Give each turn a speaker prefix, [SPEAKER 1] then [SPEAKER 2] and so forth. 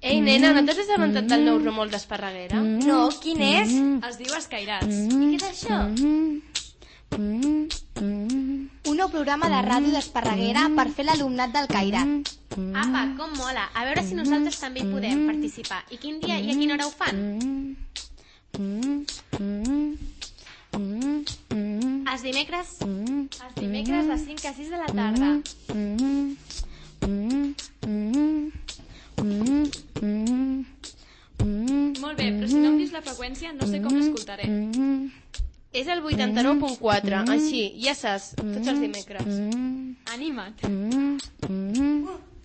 [SPEAKER 1] Ei, nena, no t'has assabentat del nou remol d'Esparreguera?
[SPEAKER 2] No, quin és?
[SPEAKER 3] Es diu Escairats.
[SPEAKER 2] I què és això? Un nou programa de ràdio d'Esparreguera per fer l'alumnat del Cairat.
[SPEAKER 4] Apa, com mola. A veure si nosaltres també hi podem participar. I quin dia i a quina hora ho fan? Els dimecres?
[SPEAKER 3] Els dimecres de 5 a 6 de la tarda. Molt bé, però si no em dius la freqüència no sé com l'escoltaré.
[SPEAKER 1] És el 89.4, així, ja saps, tots els dimecres.
[SPEAKER 3] Anima't.